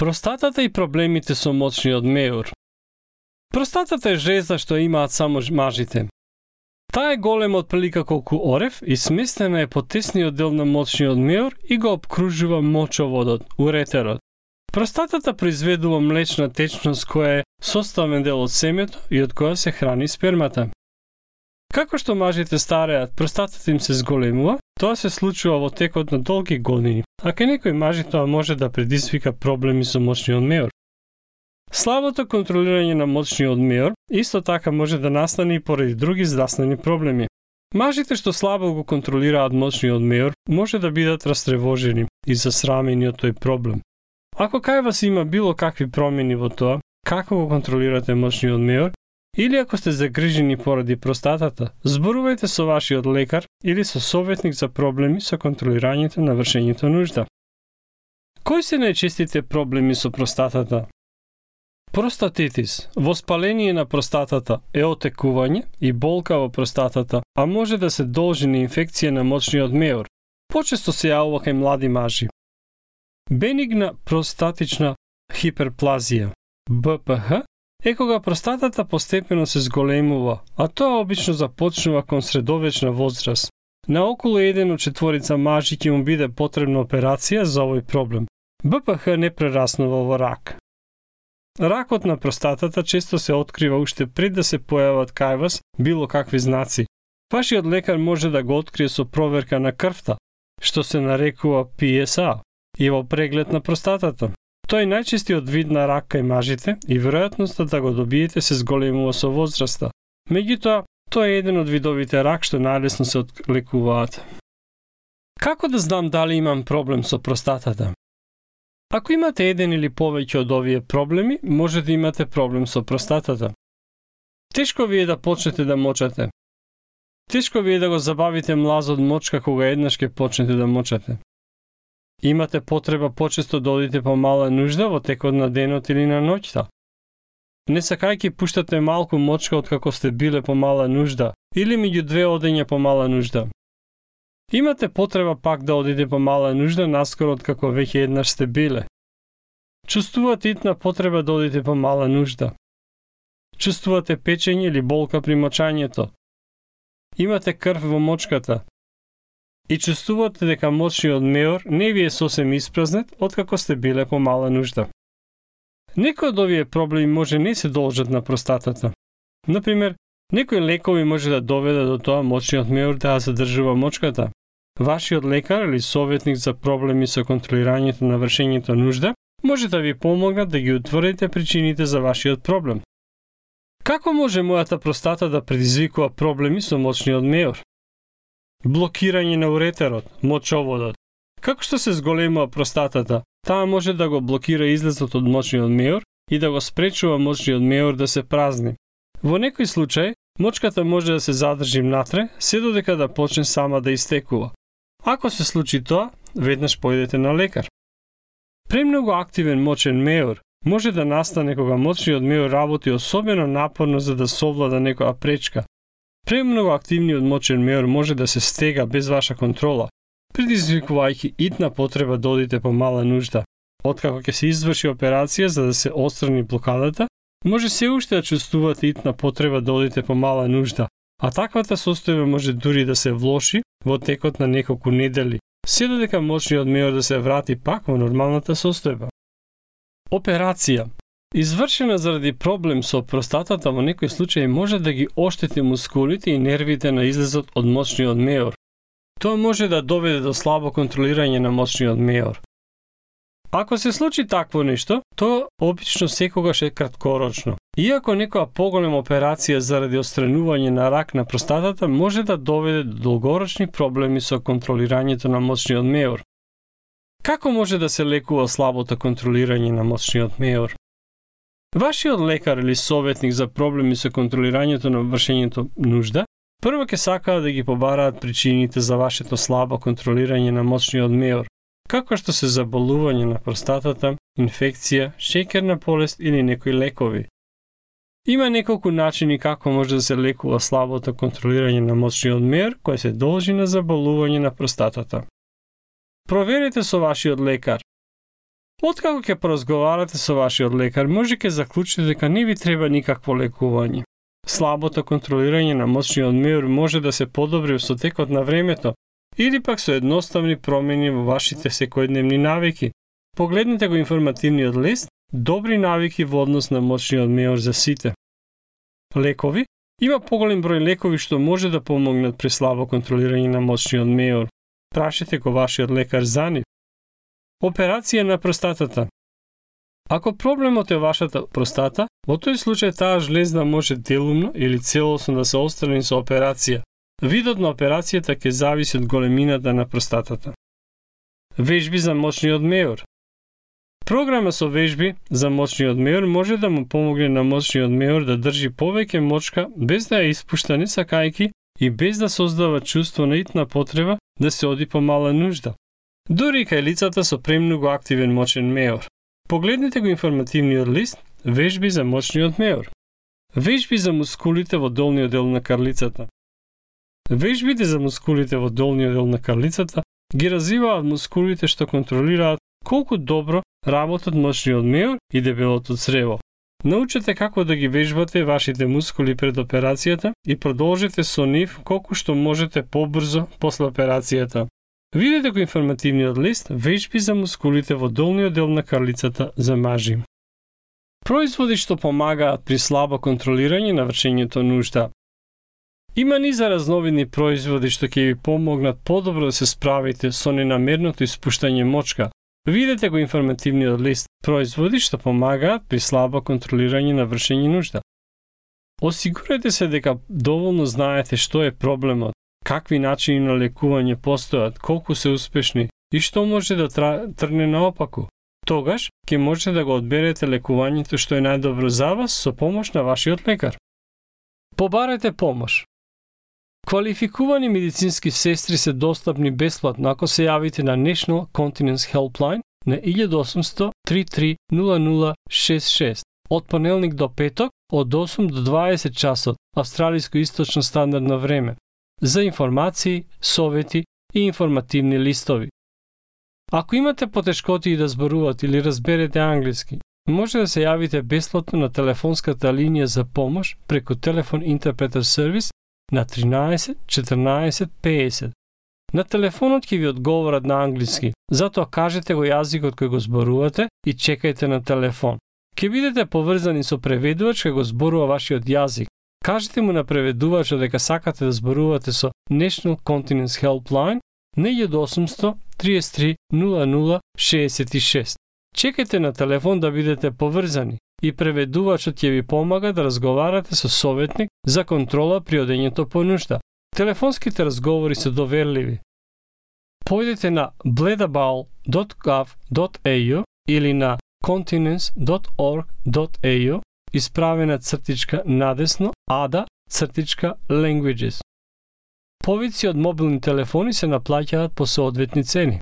Простатата и проблемите со мочниот меур. Простатата е жезда што имаат само мажите. Таа е голема отприлика колку орев и сместена е по тесниот дел на мочниот меур и го обкружува мочоводот, уретерот. Простатата произведува млечна течност која е составен дел од семето и од која се храни спермата. Како што мажите стареат, простатата им се зголемува, тоа се случува во текот на долги години, а кај некои мажи тоа може да предизвика проблеми со мочниот меур. Слабото контролирање на мочниот меур исто така може да настане и поради други здравствени проблеми. Мажите што слабо го контролираат мочниот меур може да бидат растревожени и засрамени од тој проблем. Ако кај вас има било какви промени во тоа, како го контролирате мочниот меур, или ако сте загрижени поради простатата, зборувајте со вашиот лекар или со советник за проблеми со контролирањето на вршењето нужда. Кои се најчестите проблеми со простатата? Простатитис, воспаление на простатата е отекување и болка во простатата, а може да се должи на инфекција на мочниот меур. Почесто се јавува кај млади мажи. Бенигна простатична хиперплазија, БПХ, е кога простатата постепено се зголемува, а тоа обично започнува кон средовечна возраст. На околу 1 од 4 мажи ќе му биде потребна операција за овој проблем. БПХ не прераснува во рак. Ракот на простатата често се открива уште пред да се појават кај вас било какви знаци. Вашиот лекар може да го открие со проверка на крвта, што се нарекува PSA, и во преглед на простатата. Тој е најчестиот вид на рак кај мажите и веројатноста да го добиете се зголемува со возраста. Меѓутоа, тоа е еден од видовите рак што најлесно се отлекуваат. Како да знам дали имам проблем со простатата? Ако имате еден или повеќе од овие проблеми, може да имате проблем со простатата. Тешко ви е да почнете да мочате. Тешко ви е да го забавите млазот мочка кога еднаш ќе почнете да мочате. Имате потреба почесто да одите по мала нужда во текот на денот или на ноќта. Не сакајќи пуштате малку мочка откако сте биле по мала нужда или меѓу две одења по мала нужда. Имате потреба пак да одите по мала нужда наскоро откако веќе еднаш сте биле. Чувствувате итна потреба да одите по мала нужда. Чувствувате печење или болка при мочањето. Имате крв во мочката. И чувствувате дека мочниот меур не ви е сосем испразнет откако сте биле по мала нужда. Некои од овие проблеми може не се должат на простатата. Например, некои лекови може да доведат до тоа мочниот меур да ја задржува мочката. Вашиот лекар или советник за проблеми со контролирањето на вршењето нужда може да ви помогнат да ги утврдите причините за вашиот проблем. Како може мојата простата да предизвикува проблеми со мочниот меур? Блокирање на уретерот, мочоводот. Како што се зголемува простатата, таа може да го блокира излезот од мочниот меур и да го спречува мочниот меур да се празни. Во некој случај, мочката може да се задржи внатре, се додека да почне сама да истекува. Ако се случи тоа, веднаш појдете на лекар. Премногу активен мочен меур може да настане кога мочниот меур работи особено напорно за да совлада некоја пречка. Премногу активниот мочен меур може да се стега без ваша контрола, предизвикувајќи итна потреба да одите по мала нужда. Откако ќе се изврши операција за да се отстрани блокадата, може се уште да чувствувате итна потреба да одите по мала нужда, а таквата состојба може дури да се влоши во текот на неколку недели, се додека мочниот меур да се врати пак во нормалната состојба. Операција извршена заради проблем со простатата во некој случај може да ги оштети мускулите и нервите на излезот од мочниот меур. Тоа може да доведе до слабо контролирање на мочниот меур. Ако се случи такво нешто, тоа обично секогаш е краткорочно. Иако некоја поголема операција заради отстранување на рак на простатата може да доведе до долгорочни проблеми со контролирањето на мочниот меур. Како може да се лекува слабото контролирање на мочниот меур? Вашиот лекар или советник за проблеми со контролирањето на вршењето нужда прво ќе сакаат да ги побараат причините за вашето слабо контролирање на мочниот меур, како што се заболување на простатата, инфекција, шеќерна болест или некои лекови. Има неколку начини како може да се лекува слабото контролирање на мочниот меур кој се должи на заболување на простатата. Проверете со вашиот лекар. Откако ќе поразговарате со вашиот лекар, може ќе заклучите дека не ви треба никакво лекување. Слабото контролирање на моćниот меур може да се подобри со текот на времето или пак со едноставни промени во вашите секојдневни навики. Погледнете го информативниот лист Добри навики во однос на моćниот меур за сите. Лекови. Има поголем број лекови што може да помогнат при слабо контролирање на моćниот меур. Прашете го вашиот лекар за нив. Операција на простатата. Ако проблемот е вашата простата, во тој случај таа жлезда може делумно или целосно да се отстрани со операција. Видот на операцијата ќе зависи од големината на простатата. Вежби за моćниот меур. Програма со вежби за моćниот меур може да му помогне на моćниот меур да држи повеќе мочка без да ја испушта не сакајки и без да создава чувство на итна потреба да се оди по мала нужда. Дури и кај лицата со премногу активен моćен меур. Погледнете го информативниот лист Вежби за моćниот меур. Вежби за мускулите во долниот дел на карлицата. Вежбите за мускулите во долниот дел на карлицата ги развиваат мускулите што контролираат колку добро работат моćниот меур и дебелото црево. Научете како да ги вежбате вашите мускули пред операцијата и продолжете со нив колку што можете побрзо после операцијата. Видете го информативниот лист Вежби за мускулите во долниот дел на карлицата за мажи. Производи што помагаат при слабо контролирање на вршењето нужда. Има низа разновидни производи што ќе ви помогнат подобро да се справите со ненамерното испуштање мочка. Видете го информативниот лист Производи што помагаат при слабо контролирање на вршење нужда. Осигурете се дека доволно знаете што е проблемот, какви начини на лекување постојат, колку се успешни и што може да тргне наопаку. Тогаш ќе можете да го одберете лекувањето што е најдобро за вас со помош на вашиот лекар. Побарете помош. Квалификувани медицински сестри се достапни бесплатно ако се јавите на National Continence Helpline на 1800 33 0066 од понеделник до петок од 8 до 20 часот австралиско источно стандардно време за информации, совети и информативни листови. Ако имате потешкоти да зборувате или разберете англиски, може да се јавите бесплатно на телефонската линија за помош преку телефон интерпретер сервис на 13 14 50. На телефонот ќе ви одговорат на англиски, затоа кажете го јазикот кој го зборувате и чекајте на телефон. Ќе бидете поврзани со преведувач кој го зборува вашиот јазик. Кажете му на преведувачот дека сакате да зборувате со National Continence Helpline на 1800 33 00 66. Чекајте на телефон да бидете поврзани и преведувачот ќе ви помага да разговарате со советник за контрола при одењето по нужда. Телефонските разговори се доверливи. Појдете на bledabal.gov.au или на continence.org.au исправена цртичка надесно ada-languages. Повици од мобилни телефони се наплаќаат по соодветни цени.